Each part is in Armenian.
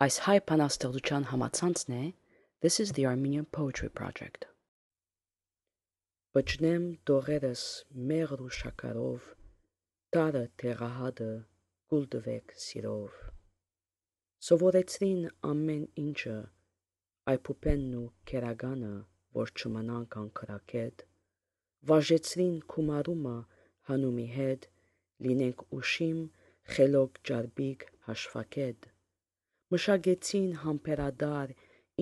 Այս հայ բանաստեղծության համացանցն է This is the Armenian Poetry Project. Բջնեմ դողերս մեղր ու շաքարով, տարը տեղահատը գուլդվեք սիրով։ Սովորեցրին ամեն ինչը, այփուպենն ու կերագանը, որ չմնանք անքրակետ, վաժեցրին քումարումը հանումի հետ, լինենք ուշիմ, խելոք ջարբիկ հաշվակետ, մշագեցին համբերադար,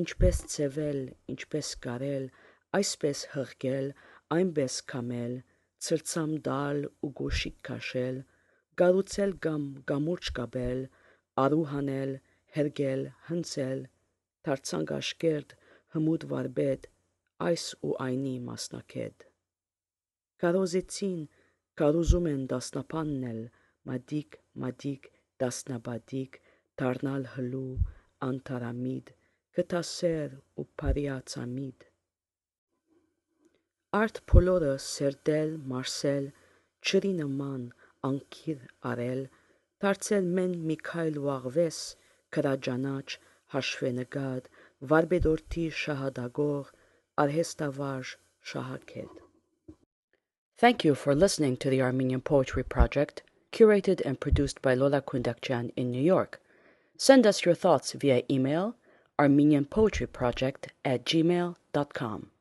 ինչպես ծեվել, ինչպես կարել, այսպես հղկել, այնպես կամել, ցրցամ դալ ու գոշիկ քաշել, գառուցել կամ գամուրջ կապել, արու հանել, հերգել, հնցել, դարձանք աշկերտ, հմուտ վարպետ, այս ու այնի մասնակետ։ Կարոզեցին, կարոզում են դասնապաննել, մադիկ, դասնապատիկ, դառնալ հլու, անթարամիտ, գտասեր ու բարիացամիտ։ Արդ բոլորը սերտել, մարսել, ջրի նման անկիր արել, դարձել մեն Միքայել ու Աղվես, քրաջանաչ, հաշվենկատ, վարպետորդի շահադագող, արհեստավարժ շահակետ։ Thank you for listening to the Armenian Poetry Project, curated and produced by Lola Kundakjian in New York. Send us your thoughts via email armenianpoetryproject@gmail.com.